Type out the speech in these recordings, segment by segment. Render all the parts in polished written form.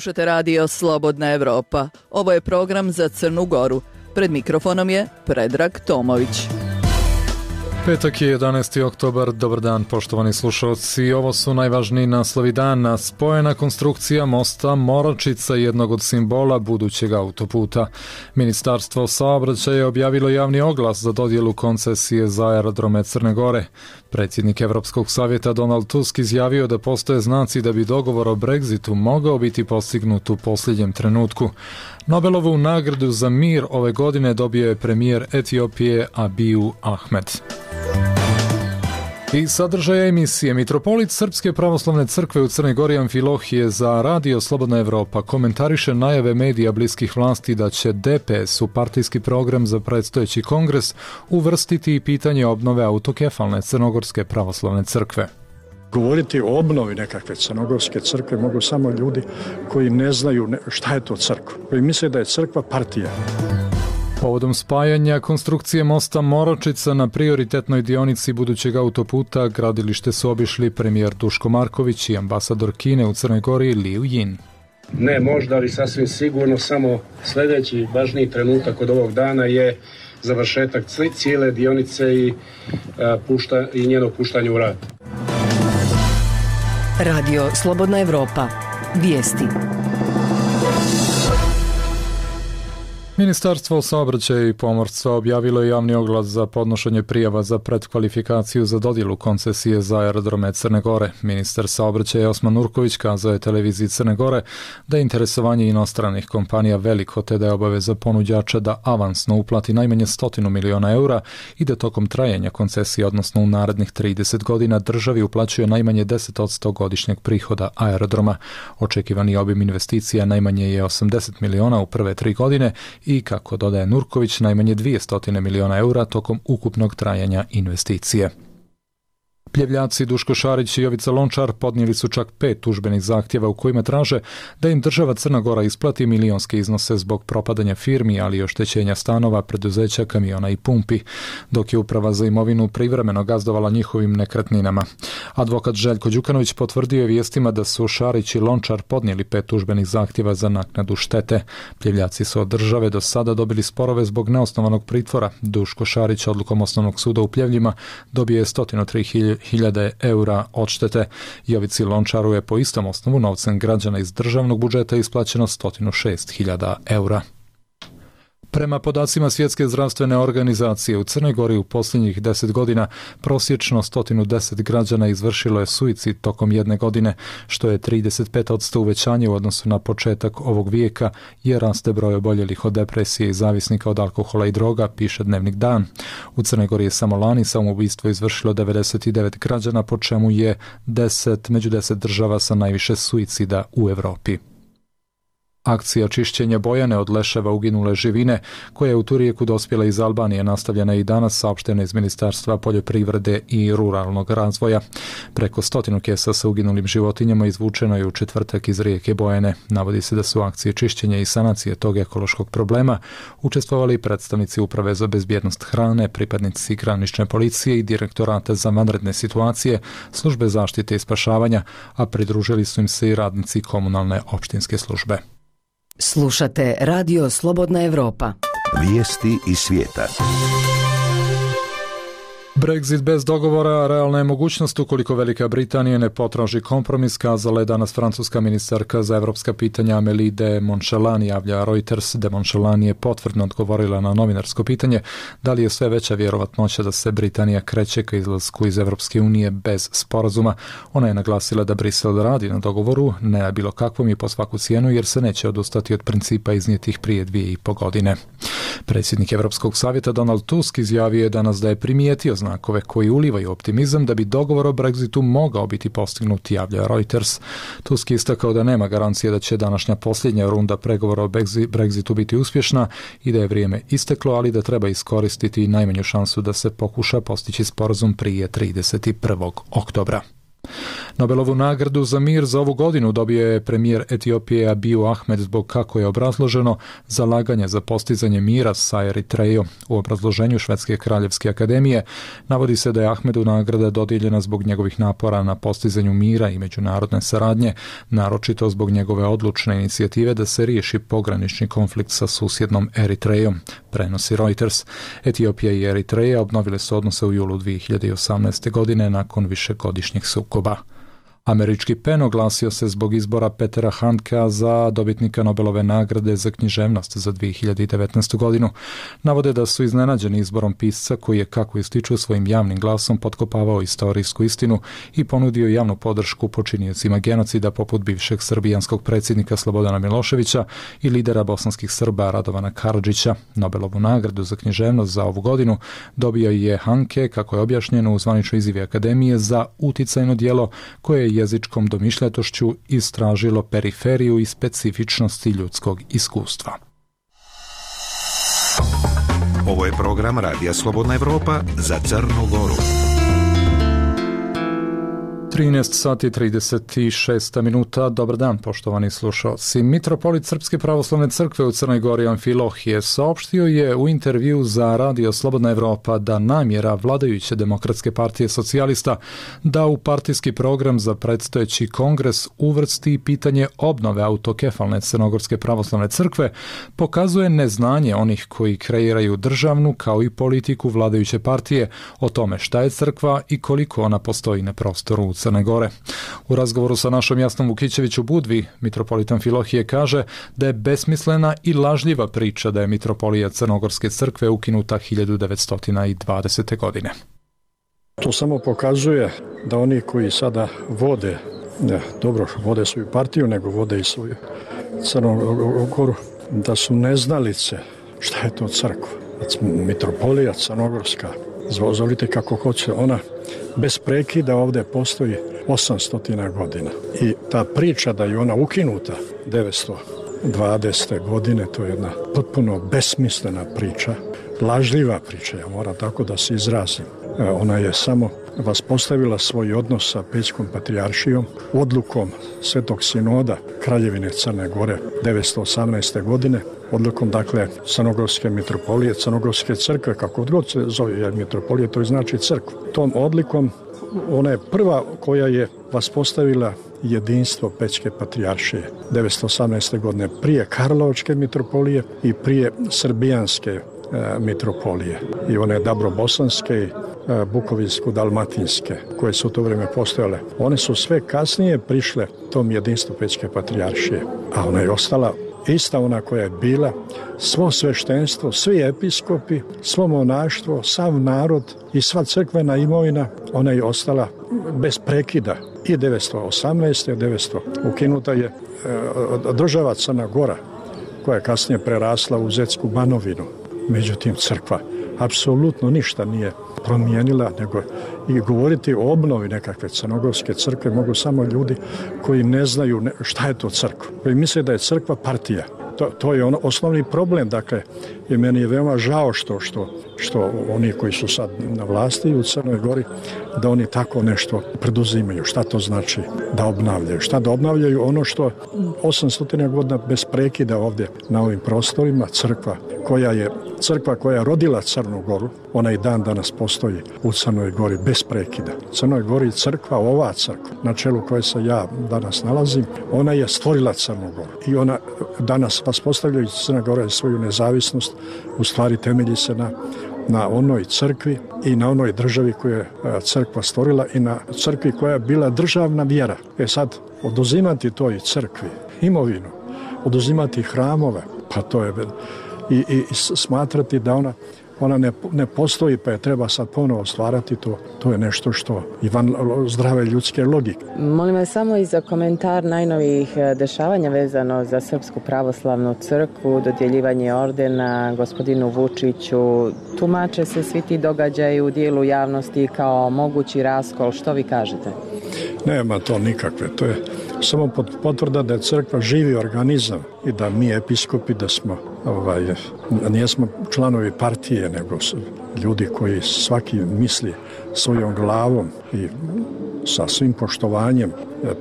Slušate radio Slobodna Evropa. Ovo je program za Crnu Goru. Pred mikrofonom je Predrag Tomović. Petak je 11. oktobar. Dobar dan, poštovani slušalci. Ovo su najvažniji naslovi dana. Spojena konstrukcija mosta Moračica, jednog od simbola budućeg autoputa. Ministarstvo saobraćaja je objavilo javni oglas za dodjelu koncesije za aerodrome Crne Gore. Predsjednik Evropskog savjeta Donald Tusk izjavio da postoje znaci da bi dogovor o Brexitu mogao biti postignut u posljednjem trenutku. Nobelovu nagradu za mir ove godine dobio je premijer Etiopije Abiy Ahmed. I sadržaja emisije. Mitropolit Srpske pravoslavne crkve u Crnoj Gori Amfilohije za radio Slobodna Evropa komentariše najave medija bliskih vlasti da će DPS u partijski program za predstojeći kongres uvrstiti i pitanje obnove autokefalne Crnogorske pravoslavne crkve. Govoriti o obnovi nekakve Crnogorske crkve mogu samo ljudi koji ne znaju šta je to crkva, koji misle da je crkva partija. Povodom spajanja konstrukcije mosta Moračica na prioritetnoj dionici budućeg autoputa gradilište su obišli premijer Duško Marković i ambasador Kine u Crnoj Gori Liu Jin. Ne možda, ali sasvim sigurno samo sljedeći važniji trenutak od ovog dana je završetak cijele dionice i njeno puštanje u rad. Radio Slobodna Evropa. Vijesti. Ministarstvo saobraćaja i pomorstva objavilo je javni oglas za podnošenje prijava za pretkvalifikaciju za dodjelu koncesije za aerodrome Crne Gore. Ministar saobraćaja Osman Nurković kazao je televiziji Crne Gore da je interesovanje inostranih kompanija veliko, te da je obaveza ponuđača da avansno uplati najmanje 100 miliona eura i da tokom trajanja koncesije, odnosno u narednih 30 godina, državi uplaćuje najmanje 10% godišnjeg prihoda aerodroma. Očekivani obim investicija najmanje je 80 miliona u prve 3 godine i, kako dodaje Nurković, najmanje 200 miliona eura tokom ukupnog trajanja investicije. Pljevljaci Duško Šarić i Jovica Lončar podnijeli su čak 5 tužbenih zahtjeva u kojima traže da im država Crna Gora isplati milionske iznose zbog propadanja firmi, ali i oštećenja stanova, preduzeća, kamiona i pumpi, dok je Uprava za imovinu privremeno gazdovala njihovim nekretninama. Advokat Željko Đukanović potvrdio je vijestima da su Šarić i Lončar podnijeli 5 tužbenih zahtjeva za naknadu štete. Pljevljaci su od države do sada dobili sporove zbog neosnovanog pritvora. Duško Šarić odlukom Osnovnog suda u Pljevljima dobije 103.000 eura odštete. Jovici Lončaru je po istom osnovu novcem građana iz državnog budžeta isplaćeno 106.000 eura. Prema podacima Svjetske zdravstvene organizacije, u Crnoj Gori u posljednjih 10 godina prosječno 110 građana izvršilo je suicid tokom jedne godine, što je 35% uvećanje u odnosu na početak ovog vijeka, jer raste broj oboljelih od depresije i zavisnika od alkohola i droga, piše Dnevnik Dan. U Crnoj Gori je samo lani samoubistvo izvršilo 99 građana, po čemu je među 10 država sa najviše suicida u Europi. Akcija čišćenja Bojane od leševa uginule živine, koja je u Turijeku dospjela iz Albanije, nastavljena i danas, saopšteno iz Ministarstva poljoprivrede i ruralnog razvoja. Preko 100 kesa sa uginulim životinjama izvučeno je u četvrtak iz rijeke Bojane. Navodi se da su akcije čišćenja i sanacije tog ekološkog problema učestvovali predstavnici Uprave za bezbjednost hrane, pripadnici granične policije i Direktorata za vanredne situacije, Službe zaštite i spašavanja, a pridružili su im se i radnici komunalne opštinske službe. Slušate Radio Slobodna Evropa. Vijesti iz svijeta. Brexit bez dogovora realna je mogućnost ukoliko Velika Britanija ne potraži kompromis, kazala je danas francuska ministarka za evropska pitanja Amélie de Montchalin, javlja Reuters. De Montchalin je potvrdno odgovorila na novinarsko pitanje da li je sve veća vjerovatnoća da se Britanija kreće ka izlasku iz Evropske unije bez sporazuma. Ona je naglasila da Brisel radi na dogovoru, ne bilo kakvom i po svaku cijenu, jer se neće odustati od principa iznijetih prije 2,5 godine. Predsjednik Evropskog savjeta Donald Tusk izjavio je danas da je primijetio znakove koji ulivaju optimizam da bi dogovor o Brexitu mogao biti postignut, javlja Reuters. Tusk je istakao da nema garancije da će današnja posljednja runda pregovora o Brexitu biti uspješna i da je vrijeme isteklo, ali da treba iskoristiti najmanju šansu da se pokuša postići sporazum prije 31. oktobra. Nobelovu nagradu za mir za ovu godinu dobio je premijer Etiopije Abiy Ahmed zbog, kako je obrazloženo, zalaganja za postizanje mira sa Eritrejom. U obrazloženju Švedske kraljevske akademije navodi se da je Ahmedu nagrada dodijeljena zbog njegovih napora na postizanju mira i međunarodne saradnje, naročito zbog njegove odlučne inicijative da se riješi pogranični konflikt sa susjednom Eritrejom, prenosi Reuters. Etiopija i Eritreja obnovile su odnose u julu 2018. godine nakon višegodišnjih sukoba. Američki PEN oglasio se zbog izbora Petera Handkea za dobitnika Nobelove nagrade za književnost za 2019. godinu. Navode da su iznenađeni izborom pisca koji je, kako ističu, svojim javnim glasom potkopavao istorijsku istinu i ponudio javnu podršku počiniocima genocida poput bivšeg srbijanskog predsjednika Slobodana Miloševića i lidera bosanskih Srba Radovana Karadžića. Nobelovu nagradu za književnost za ovu godinu dobio je Handke, kako je objašnjeno u zvaničnoj izjavi Akademije, za uticajno djelo koje je jezičkom domišljatošću istražilo periferiju i specifičnosti ljudskog iskustva. Ovo je program Radija Slobodna Evropa za Crnu Goru. 13 sati 36 minuta. Dobar dan, poštovani slušalci. Mitropolit Srpske pravoslavne crkve u Crnoj Gori Amfilohije saopštio je u intervju za Radio Slobodna Evropa da namjera vladajuće Demokratske partije socijalista da u partijski program za predstojeći kongres uvrsti pitanje obnove autokefalne Crnogorske pravoslavne crkve pokazuje neznanje onih koji kreiraju državnu kao i politiku vladajuće partije o tome šta je crkva i koliko ona postoji na prostoru u Crne Gore. U razgovoru sa našom Jasnom Vukićević u Budvi, mitropolit Amfilohije kaže da je besmislena i lažljiva priča da je mitropolija Crnogorske crkve ukinuta 1920. godine. To samo pokazuje da oni koji sada vode, vode svoju partiju, nego vode i svoju Crnu Goru, da su neznalice šta je to crkva. Mitropolija Crnogorska, zvolite kako hoće, ona bez prekida ovdje postoji 800 godina. I ta priča da je ona ukinuta 920. godine, to je jedna potpuno besmislena priča, lažljiva priča, ja moram tako da se izrazim. Ona je samo vaspostavila svoj odnos sa Pećkom patrijaršijom odlukom Svetog sinoda Kraljevine Crne Gore 918. godine, odlukom, dakle, Crnogorske mitropolije, Crnogorske crkve, kako god se zove, jer mitropolije to znači crkva. Tom odlikom ona je prva koja je vaspostavila jedinstvo Pećke patrijaršije 918. godine, prije Karlovačke mitropolije i prije Srbijanske mitropolije. I one Dabrobosanske i Bukovinsko-dalmatinske, koje su u to vrijeme postojale. One su sve kasnije prišle tom jedinstvu Pećke patrijaršije, a ona je ostala ista ona koja je bila, svo sveštenstvo, svi episkopi, svo monaštvo, sav narod i sva crkvena imovina, ona je ostala bez prekida. I 918. 900. ukinuta je država Crna Gora, koja je kasnije prerasla u Zetsku Banovinu. Međutim, crkva apsolutno ništa nije promijenila, nego i govoriti o obnovi nekakve Crnogorske crkve mogu samo ljudi koji ne znaju šta je to crkva, koji misle da je crkva partija. To je osnovni problem, dakle, i meni je veoma žao što oni koji su sad na vlasti u Crnoj Gori, da oni tako nešto preduzimaju. Šta to znači da obnavljaju? Šta da obnavljaju ono što 800 godina bez prekida ovdje na ovim prostorima, crkva koja je rodila Crnu Goru, ona i dan danas postoji u Crnoj Gori bez prekida. U Crnoj Gori crkva, ova crkva, na čelu koje se ja danas nalazim, ona je stvorila Crnu Goru. I ona danas vaspostavljajući Crna Gora svoju nezavisnost, u stvari temelji se na onoj crkvi i na onoj državi koju je crkva stvorila i na crkvi koja je bila državna vjera. Sad, oduzimati toj crkvi imovinu, oduzimati hramove, pa to je i smatrati da ona ne postoji, pa je treba sad ponovo stvarati, to je nešto što i van zdrave ljudske logike. Molim vas samo i za komentar najnovijih dešavanja vezano za Srpsku pravoslavnu crkvu, dodjeljivanje ordena gospodinu Vučiću. Tumače se svi ti događaji u dijelu javnosti kao mogući raskol. Što vi kažete? Nema to nikakve. To je samo potvrda da je crkva živi organizam i da mi episkopi da smo nijesmo članovi partije, nego su ljudi koji svaki misli svojom glavom i sa svim poštovanjem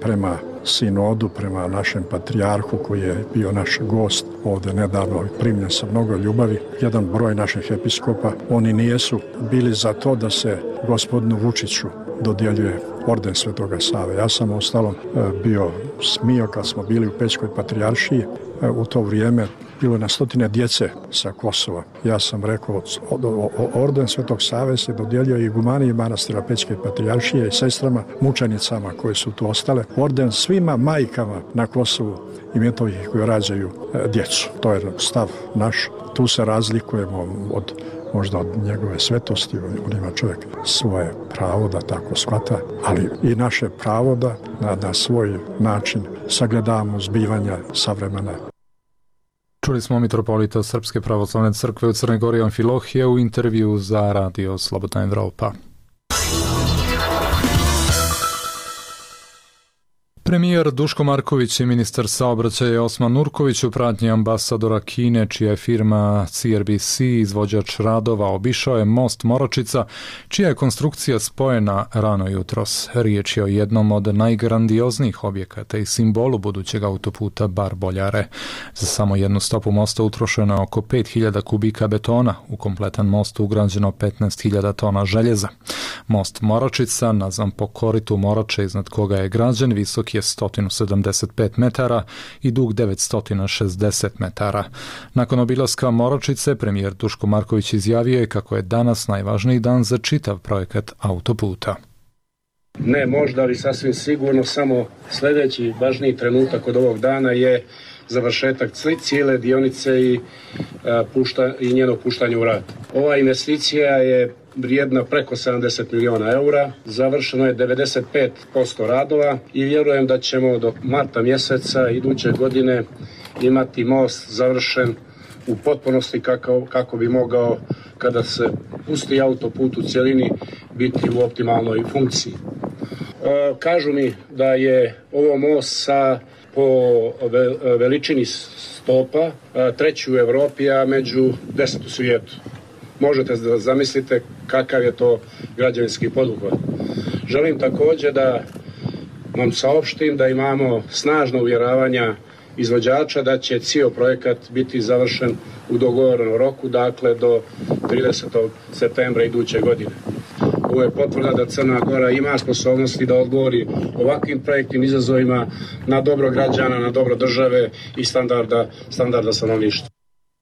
prema sinodu, prema našem patrijarhu koji je bio naš gost ovdje nedavno i primljen sa mnogo ljubavi. Jedan broj naših episkopa, oni nijesu bili za to da se gospodinu Vučiću dodjeljuje orden Svetoga Save. Ja sam ostalom bio smio kad smo bili u Pećkoj patrijaršiji. U to vrijeme bilo na stotine djece sa Kosova. Ja sam rekao, orden Svetog Save se dodjeljuje i igumaniji manastira Pećke patrijaršije i sestrama, mučenicama koje su tu ostale. Orden svima majkama na Kosovu i Metohiji koji rađaju djecu. To je stav naš. Tu se razlikujemo možda od njegove svetosti, on ima čovjek svoje pravo da tako shvata, ali i naše pravo da na svoj način sagledavamo zbivanja savremena. Čuli smo mitropolita Srpske pravoslavne crkve u Crnoj Gori Amfilohije u intervju za Radio Slobodna Evropa. Premijer Duško Marković i ministar saobraćaja Osman Nurković u pratnji ambasadora Kine, čija je firma CRBC izvođač radova, obišao je most Moračica, čija je konstrukcija spojena rano jutros. Riječ je o jednom od najgrandioznijih objekata i simbolu budućeg autoputa Bar-Boljare. Za samo jednu stopu mosta utrošeno je oko 5000 kubika betona, u kompletan most ugrađeno 15.000 tona željeza. Most Moračica, nazvan po koritu Morače iznad koga je građen, visok je 175 metara i dug 960 metara. Nakon obilaska Moračice, premijer Duško Marković izjavio je kako je danas najvažniji dan za čitav projekat autoputa. Ne možda, ali sasvim sigurno samo sljedeći važniji trenutak od ovog dana je završetak cijele dionice i njeno puštanje u rad. Ova investicija je vrijedna preko 70 miliona eura, završeno je 95% radova i vjerujem da ćemo do marta mjeseca iduće godine imati most završen u potpunosti kako bi mogao, kada se pusti autoput u cjelini, biti u optimalnoj funkciji. Kažu mi da je ovo most po veličini stopa treći u Europi, a među 10 u svijetu. Možete da zamislite kakav je to građevinski poduhvat. Želim također da vam saopštim da imamo snažno uvjeravanja izvođača da će cijel projekat biti završen u dogovorenom roku, dakle do 30. septembra iduće godine. Ovo je potvrda da Crna Gora ima sposobnosti da odgovori ovakvim projektnim izazovima na dobro građana, na dobro države i standarda stanovništva.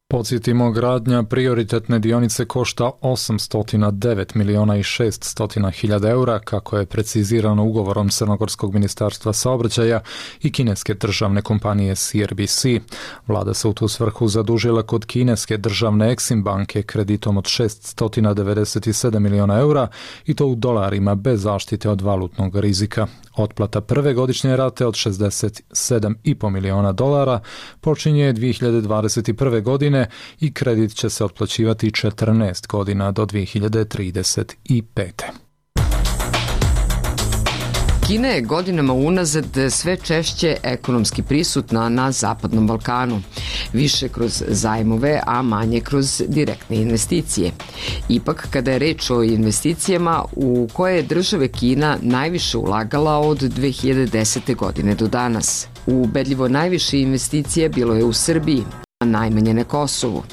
Podsjetimo, gradnja prioritetne dionice košta 809 miliona i 600 hiljada eura, kako je precizirano ugovorom Crnogorskog ministarstva saobraćaja i kineske državne kompanije CRBC. Vlada se u tu svrhu zadužila kod kineske državne Exim banke kreditom od 697 miliona eura i to u dolarima bez zaštite od valutnog rizika. Otplata prve godišnje rate od 67,5 miliona dolara počinje 2021. godine i kredit će se otplaćivati 14 godina do 2035. Kina je godinama unazad sve češće ekonomski prisutna na Zapadnom Balkanu, više kroz zajmove, a manje kroz direktne investicije. Ipak, kada je reč o investicijama u koje je države Kina najviše ulagala od 2010. godine do danas. Ubedljivo najviše investicije bilo je u Srbiji, a najmanje na Kosovu.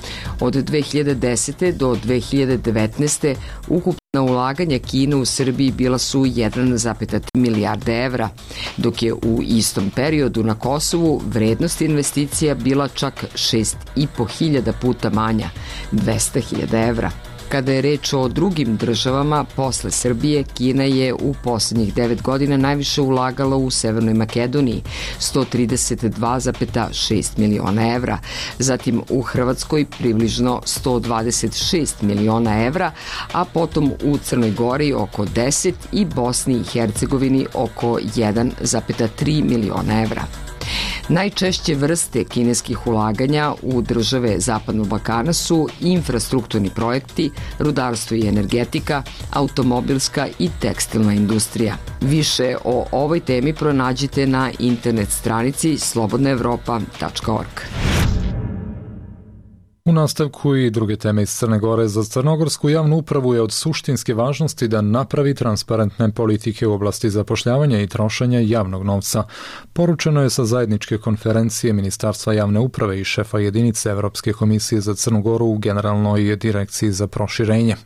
Od 2010. do 2019. ukupna ulaganja Kine u Srbiji bila su 1,3 milijarde evra, dok je u istom periodu na Kosovu vrednost investicija bila čak 6.500 puta manja, 200.000 evra. Kada je reč o drugim državama, posle Srbije, Kina je u posljednjih 9 godina najviše ulagala u Severnoj Makedoniji, 132,6 miliona evra, zatim u Hrvatskoj približno 126 miliona evra, a potom u Crnoj Gori oko 10 i Bosni i Hercegovini oko 1,3 miliona evra. Najčešće vrste kineskih ulaganja u države Zapadnog Balkana su infrastrukturni projekti, rudarstvo i energetika, automobilska i tekstilna industrija. Više o ovoj temi pronađite na internet stranici slobodnaevropa.org. U nastavku i druge teme iz Crne Gore. Za crnogorsku javnu upravu je od suštinske važnosti da napravi transparentne politike u oblasti zapošljavanja i trošenja javnog novca. Poručeno je sa zajedničke konferencije Ministarstva javne uprave i šefa jedinice Evropske komisije za Crnu Goru u Generalnoj direkciji za proširenje.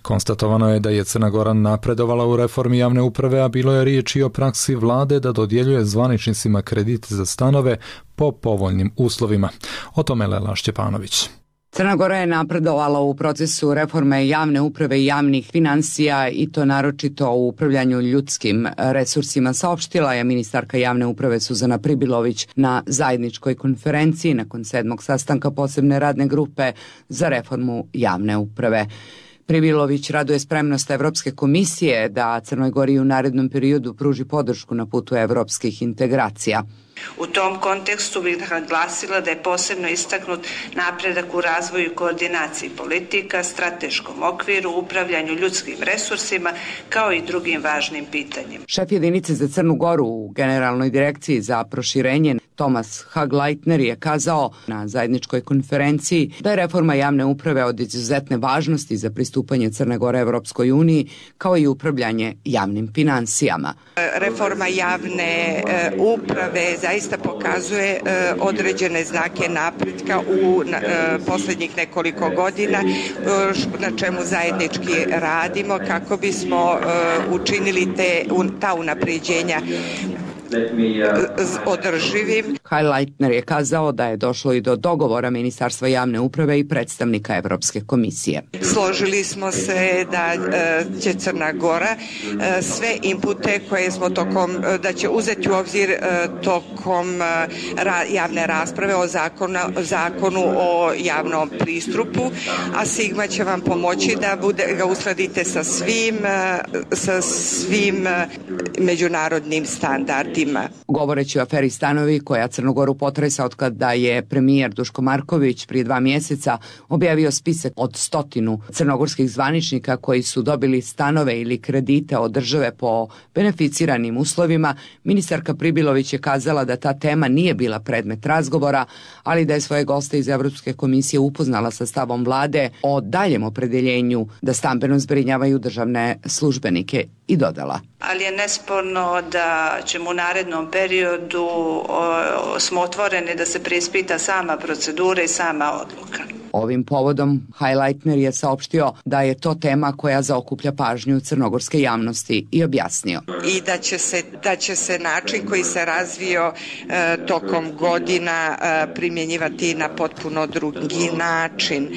Konstatovano je da je Crna Gora napredovala u reformi javne uprave, a bilo je riječ i o praksi vlade da dodjeljuje zvaničnicima kredite za stanove po povoljnim uslovima. O tome Lela Šćepanović. Crna Gora je napredovala u procesu reforme javne uprave i javnih finansija i to naročito u upravljanju ljudskim resursima, saopštila je ministarka javne uprave Suzana Pribilović na zajedničkoj konferenciji nakon 7. sastanka posebne radne grupe za reformu javne uprave. Pribilović raduje spremnost Evropske komisije da Crnoj Gori u narednom periodu pruži podršku na putu evropskih integracija. U tom kontekstu bih naglasila da je posebno istaknut napredak u razvoju i koordinaciji politika, strateškom okviru, upravljanju ljudskim resursima, kao i drugim važnim pitanjima. Šef jedinice za Crnu Goru u Generalnoj direkciji za proširenje Tomas Hagleitner je kazao na zajedničkoj konferenciji da je reforma javne uprave od izuzetne važnosti za pristupanje Crne Gore Evropskoj uniji, kao i upravljanje javnim finansijama. Reforma javne uprave zaista pokazuje određene znake napretka u posljednjih nekoliko godina, na čemu zajednički radimo kako bismo učinili ta unapređenja održivim. Hagleitner je kazao da je došlo i do dogovora Ministarstva javne uprave i predstavnika Evropske komisije. Složili smo se da će Crna Gora sve inpute koje smo da će uzeti u obzir tokom javne rasprave o zakonu o javnom pristupu, a Sigma će vam pomoći da ga uskladite sa svim međunarodnim standardima. Govoreći o aferi stanovi koja Crnogoru potresa od kada je premijer Duško Marković prije 2 mjeseca objavio spisak od 100 crnogorskih zvaničnika koji su dobili stanove ili kredite od države po beneficiranim uslovima, ministarka Pribilović je kazala da ta tema nije bila predmet razgovora, ali da je svoje goste iz Evropske komisije upoznala sa stavom vlade o daljem opredeljenju da stambeno zbrinjavaju državne službenike i dodala. Ali je nesporno da ćemo u narednom periodu smo otvoreni da se preispita sama procedura i sama odluka. Ovim povodom Hagleitner je saopštio da je to tema koja zaokuplja pažnju crnogorske javnosti i objasnio. I da će se način koji se razvio tokom godina primjenjivati na potpuno drugi način.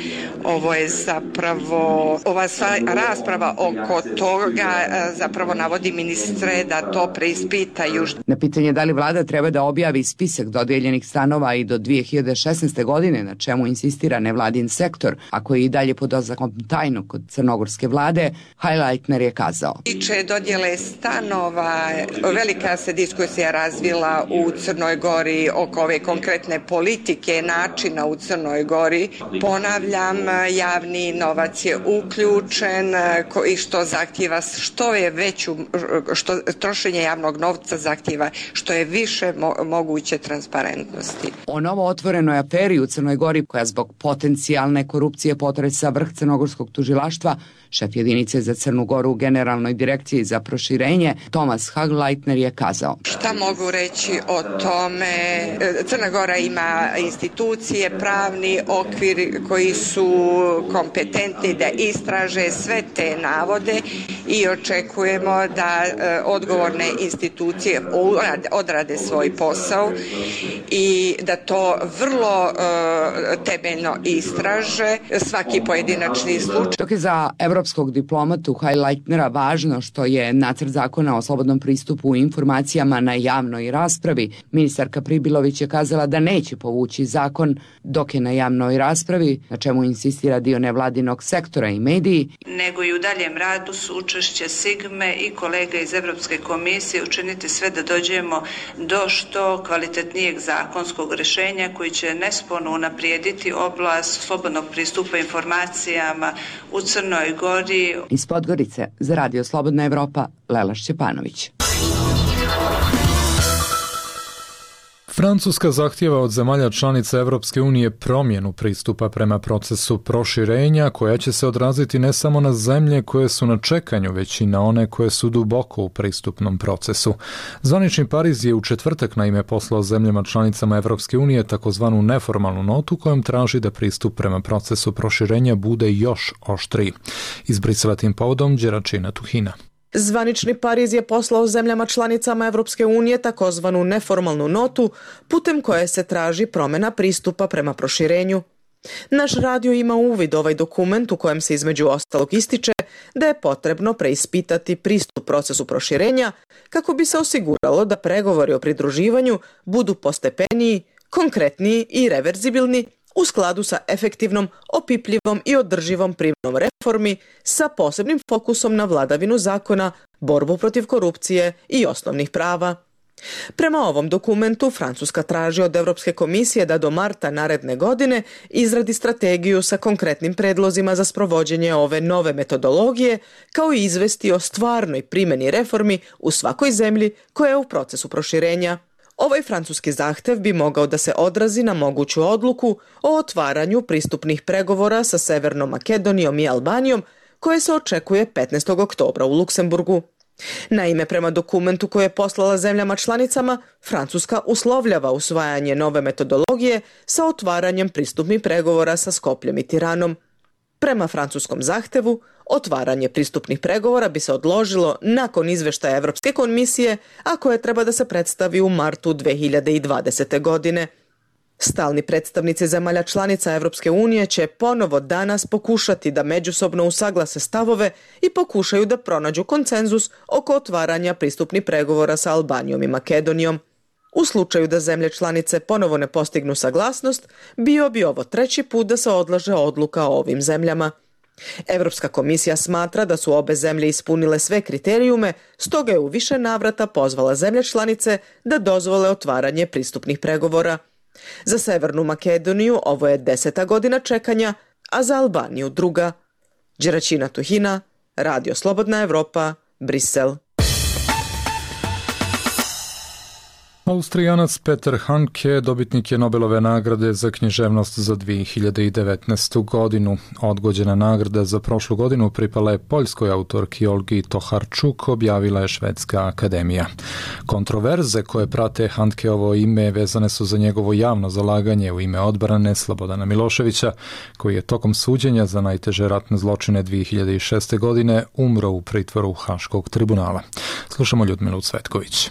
Ovo je zapravo, ova rasprava oko toga zapravo navodi ministre da to preispitaju. Na pitanje da li vlada treba da objavi spisak dodijeljenih stanova i do 2016. godine, na čemu insistira nevladin sektor, a koji i dalje pod oznakom tajnog kod crnogorske vlade, Hagleitner je kazao. Tiče dodjele stanova, velika se diskusija razvila u Crnoj Gori oko ove konkretne politike, načina u Crnoj Gori. Ponavljam, javni novac je uključen i što zahtjeva što je veću, što trošenje javnog novca zahtjeva što je više moguće transparentnosti. O novo otvorenoj aferi u Crnoj Gori koja zbog potencijalne korupcije potresa vrh crnogorskog tužilaštva, šef jedinice za Crnu Goru u Generalnoj direkciji za proširenje Tomas Hagleitner je kazao. Šta mogu reći o tome? Crna Gora ima institucije, pravni okvir koji su kompetentni da istraže sve te navode i očekujemo da odgovorne institucije odrade svoj posao i da to vrlo temeljno istraže svaki pojedinačni slučaj. Dok je za evropskog diplomatu Hagleitnera važno što je nacrt zakona o slobodnom pristupu informacijama na javnoj raspravi, ministarka Pribilović je kazala da neće povući zakon dok je na javnoj raspravi, na čemu insistira dio nevladinog sektora i mediji. Nego i u daljem radu su učešće Sigme i kolega iz Evropske komisije učiniti sve da dođemo do što kvalitetnijeg zakonskog rješenja koji će nesporno unaprijediti oblast slobodnog pristupa informacijama u Crnoj Gori. Iz Podgorice za Radio Slobodna Evropa, Lela Šćepanović. Francuska zahtijeva od zemalja članica Evropske unije promjenu pristupa prema procesu proširenja koja će se odraziti ne samo na zemlje koje su na čekanju, već i na one koje su duboko u pristupnom procesu. Zvanični Pariz je u četvrtak naime poslao zemljama članicama Evropske unije takozvanu neformalnu notu kojom traži da pristup prema procesu proširenja bude još oštriji. Iz Brisela tim povodom Đeračina Tuhina. Zvanični Pariz je poslao zemljama članicama Evropske unije takozvanu neformalnu notu putem koje se traži promjena pristupa prema proširenju. Naš radio ima uvid ovaj dokument u kojem se između ostalog ističe da je potrebno preispitati pristup procesu proširenja kako bi se osiguralo da pregovori o pridruživanju budu postepeniji, konkretniji i reverzibilni u skladu sa efektivnom, opipljivom i održivom primjenom reformi sa posebnim fokusom na vladavinu zakona, borbu protiv korupcije i osnovnih prava. Prema ovom dokumentu Francuska traži od Europske komisije da do marta naredne godine izradi strategiju sa konkretnim predlozima za sprovođenje ove nove metodologije, kao i izvesti o stvarnoj primjeni reformi u svakoj zemlji koja je u procesu proširenja. Ovaj francuski zahtev bi mogao da se odrazi na moguću odluku o otvaranju pristupnih pregovora sa Severnom Makedonijom i Albanijom, koje se očekuje 15. oktobra u Luksemburgu. Naime, prema dokumentu koje je poslala zemljama članicama, Francuska uslovljava usvajanje nove metodologije sa otvaranjem pristupnih pregovora sa Skopljem i Tiranom. Prema francuskom zahtevu, otvaranje pristupnih pregovora bi se odložilo nakon izveštaja Evropske komisije, a koje treba da se predstavi u martu 2020. godine. Stalni predstavnici zemalja članica Evropske unije će ponovo danas pokušati da međusobno usaglase stavove i pokušaju da pronađu konsenzus oko otvaranja pristupnih pregovora sa Albanijom i Makedonijom. U slučaju da zemlje članice ponovo ne postignu saglasnost, bio bi ovo treći put da se odlaže odluka o ovim zemljama. Evropska komisija smatra da su obe zemlje ispunile sve kriterijume, stoga je u više navrata pozvala zemlje članice da dozvole otvaranje pristupnih pregovora. Za Severnu Makedoniju ovo je 10. godina čekanja, a za Albaniju 2. Đeračina Tuhina, Radio Slobodna Evropa, Brisel. Austrijanac Peter Handke dobitnik je Nobelove nagrade za književnost za 2019. godinu. Odgođena nagrada za prošlu godinu pripala je poljskoj autorki Olgi Tokarczuk, objavila je Švedska akademija. Kontroverze koje prate Handkeovo ime vezane su za njegovo javno zalaganje u ime odbrane Slobodana Miloševića, koji je tokom suđenja za najteže ratne zločine 2006. godine umro u pritvoru Haškog tribunala. Slušamo Ljudmilu Cvetković.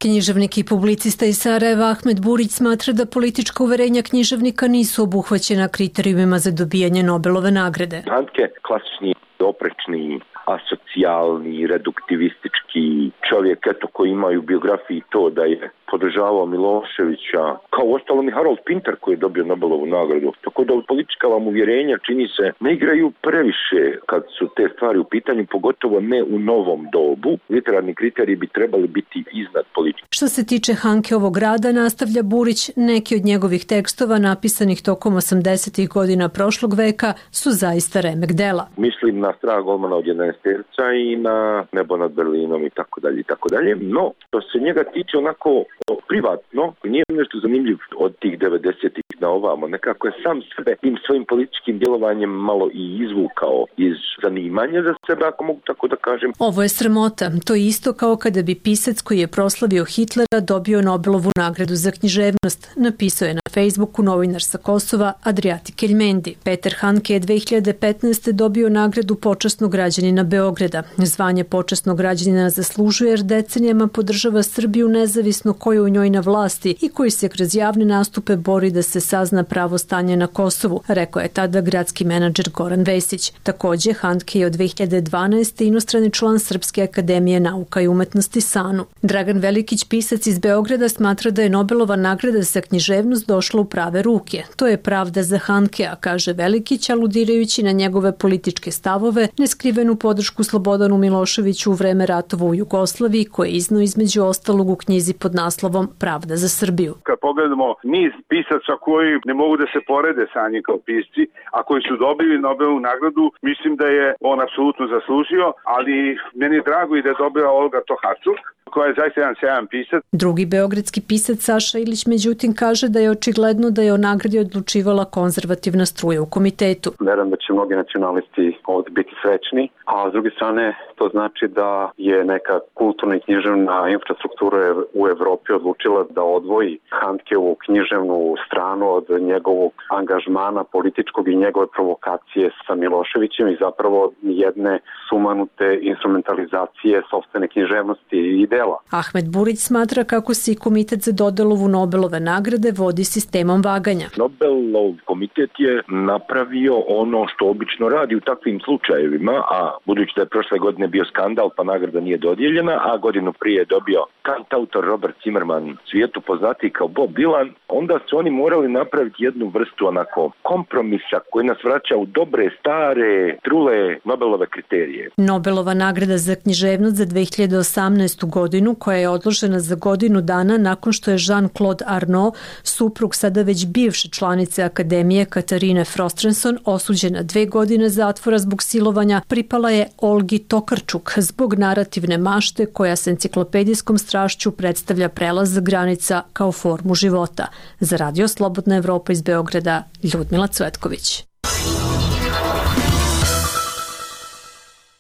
Književnik i publicista iz Sarajeva Ahmed Burić smatra da politička uverenja književnika nisu obuhvaćena kriterijumima za dobijanje Nobelove nagrade. Handke, klasični, oprečni, asocijalni, reduktivistički čovjek, koji ima u biografiji to da je podržavao Miloševića, kao uostalom i Harold Pinter koji je dobio Nobelovu nagradu. Tako da politička vam uvjerenja, čini se, ne igraju previše kad su te stvari u pitanju, pogotovo ne u novom dobu. Literarni kriteriji bi trebali biti iznad politike. Što se tiče Handkeovog rada, nastavlja Burić, neki od njegovih tekstova napisanih tokom 80. godina prošlog veka su zaista remek dela. Mislim na Strah golmana od 11 terca i na Nebo nad Berlinom i tako dalje i tako dalje. No, što se njega tiče onako privatno, nije nešto zanimljiv od tih 90-ih na ovamo. Nekako je sam sebe tim svojim političkim djelovanjem malo i izvukao iz zanimanja za sebe, ako mogu tako da kažem. Ovo je sramota. To je isto kao kada bi pisac koji je proslavio Hitlera dobio Nobelovu nagradu za književnost, napisao je na Facebooku novinar sa Kosova Adriati Keljmendi. Peter Handke je 2015. dobio nagradu počasnog građanina Beograda. Zvanje počasnog građanina zaslužuje jer decenijama podržava Srbiju nezavisno ko je u njoj na vlasti i koji se kroz javne nastupe bori da se sazna pravo stanje na Kosovu, rekao je tada gradski menadžer Goran Vesić. Također, Handke je od 2012. inostrani član Srpske akademije nauka i umetnosti SANU. Dragan Velikić, pisac iz Beograda, smatra da je Nobelova nagrada za književnost došla u prave ruke. To je pravda za Handkea, kaže Velikić, aludirajući na njegove političke stavove, neskrivenu podršku Slobodanu Miloševiću u vreme ratova u Jugoslaviji, koje je izneo između ostalog u knjizi pod naslovom Pravda za Srbiju. Kad pogledamo niz pisaca koji ne mogu da se porede sa njim kao pisci, a koji su dobili Nobelovu nagradu, mislim da je on apsolutno zaslužio, ali meni je drago i da je dobila Olga Tokarczuk, koja je zaista jedan sjajan pisac. Drugi beogradski pisac Saša Ilić međutim kaže da je očigledno da je o nagradi odlučivala konzervativna struja u komitetu. Verujem da će mnogi nacionalisti ovdje biti srećni, a s druge strane to znači da je neka kulturna i književna infrastruktura u Evropi odlučila da odvoji Handkeovu književnu stranu od njegovog angažmana političkog i njegove provokacije sa Miloševićem i zapravo jedne sumanute instrumentalizacije sopstvene književnosti i dela. Ahmed Burić smatra kako se i komitet za dodelovu Nobelove nagrade vodi sistemom vaganja. Nobelov komitet je napravio ono što obično radi u takvim slučajevima, a budući da je prošle godine bio skandal pa nagrada nije dodijeljena, a godinu prije je dobio kantautor Robert Zimmerman, svijetu poznatiji kao Bob Dylan, onda su oni morali napraviti jednu vrstu onako kompromisa koji nas vraća u dobre, stare, trule Nobelove kriterije. Nobelova nagrada za književnost za 2018. godinu, koja je odložena za godinu dana nakon što je Jean-Claude Arnault, suprug sada već bivše članice Akademije Katarine Frostrenson, osuđena 2 godine zatvora zbog silovanja, pripala je Olgi Tokarčuk zbog narativne mašte koja s enciklopedijskom strašću predstavlja prelaz granica kao formu života. Za Radio Slobodna Evropa iz Beograda, Ljudmila Cvetković.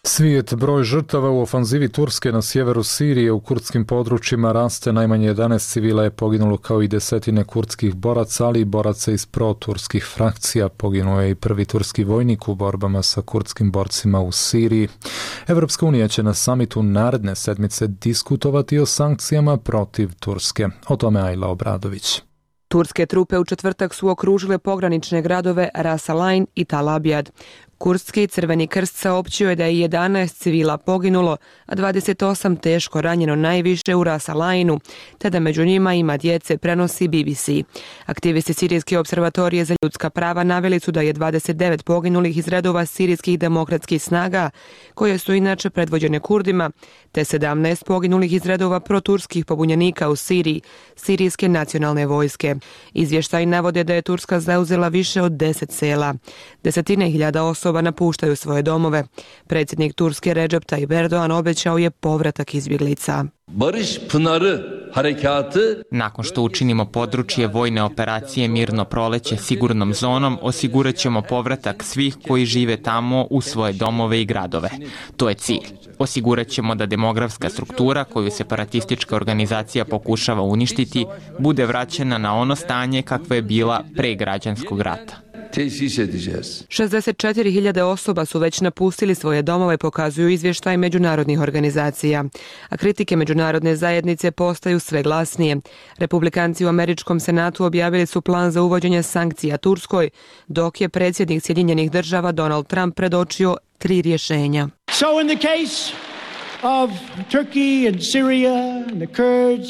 Svijet broj žrtava u ofanzivi Turske na sjeveru Sirije u kurdskim područjima raste. Najmanje 11 civila je poginulo kao i desetine kurdskih boraca, ali i boraca iz proturskih frakcija. Poginuo je i prvi turski vojnik u borbama sa kurdskim borcima u Siriji. Evropska unija će na samitu naredne sedmice diskutovati o sankcijama protiv Turske. O tome Ajla Obradović. Turske trupe u četvrtak su okružile pogranične gradove Ras Al-Ain i Tal Abyad. Kurdski Crveni krst saopćio je da je 11 civila poginulo, a 28 teško ranjeno, najviše u Ras Al-Ainu, te da među njima ima djece, prenosi BBC. Aktivisti Sirijske observatorije za ljudska prava naveli su da je 29 poginulih iz redova sirijskih demokratskih snaga, koje su inače predvođene Kurdima, te 17 poginulih iz redova proturskih pobunjenika u Siriji, Sirijske nacionalne vojske. Izvještaji navode da je Turska zauzela više od 10 sela. Desetine hiljada osoba napuštaju svoje domove. Predsjednik Turske Recep Tayyip Erdogan obećao je povratak izbjeglica. Barış Pınarı harekatı. Nakon što učinimo područje vojne operacije Mirno proleće sigurnom zonom, osigurat ćemo povratak svih koji žive tamo u svoje domove i gradove. To je cilj. Osigurat ćemo da demografska struktura koju separatistička organizacija pokušava uništiti bude vraćena na ono stanje kakva je bila pre građanskog rata. 64.000 osoba su već napustili svoje domove, pokazuju izvještaj međunarodnih organizacija. A kritike međunarodne zajednice postaju sve glasnije. Republikanci u Američkom senatu objavili su plan za uvođenje sankcija Turskoj, dok je predsjednik Sjedinjenih država Donald Trump predočio 3 rješenja. So in the case of Turkey and Syria and the Kurds,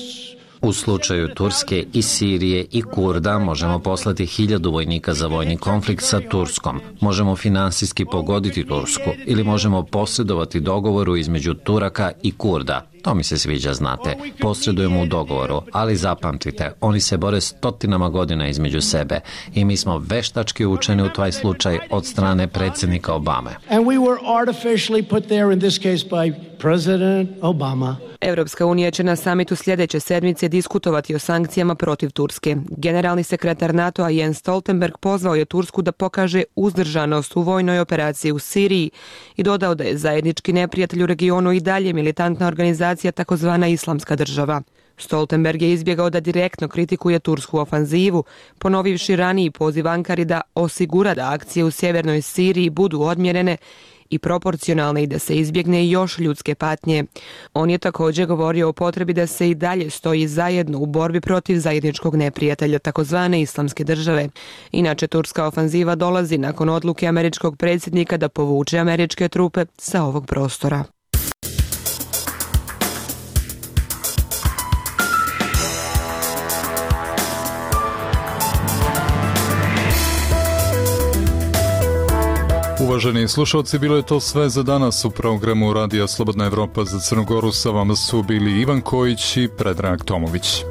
u slučaju Turske i Sirije i Kurda možemo poslati 1000 vojnika za vojni konflikt sa Turskom. Možemo finansijski pogoditi Tursku ili možemo posredovati dogovoru između Turaka i Kurda. To mi se sviđa, znate. Posredujemo u dogovoru, ali zapamtite, oni se bore stotinama godina između sebe i mi smo veštački učeni u taj slučaj od strane predsjednika Obame. And we were artificially put there in this case by President Obama. Evropska unija će na samitu sljedeće sedmice diskutovati o sankcijama protiv Turske. Generalni sekretar NATO-a Jens Stoltenberg pozvao je Tursku da pokaže uzdržanost u vojnoj operaciji u Siriji i dodao da je zajednički neprijatelj u regionu i dalje militantna organizacija takozvana Islamska država. Stoltenberg je izbjegao da direktno kritikuje tursku ofanzivu, ponovivši raniji poziv Ankari da osigura da akcije u sjevernoj Siriji budu odmjerene i proporcionalne i da se izbjegne još ljudske patnje. On je također govorio o potrebi da se i dalje stoji zajedno u borbi protiv zajedničkog neprijatelja, takozvane Islamske države. Inače, turska ofanziva dolazi nakon odluke američkog predsjednika da povuče američke trupe sa ovog prostora. Uvaženi slušalci, bilo je to sve za danas u programu Radija Slobodna Evropa za Crnu Goru. Sa vama su bili Ivan Kojić i Predrag Tomović.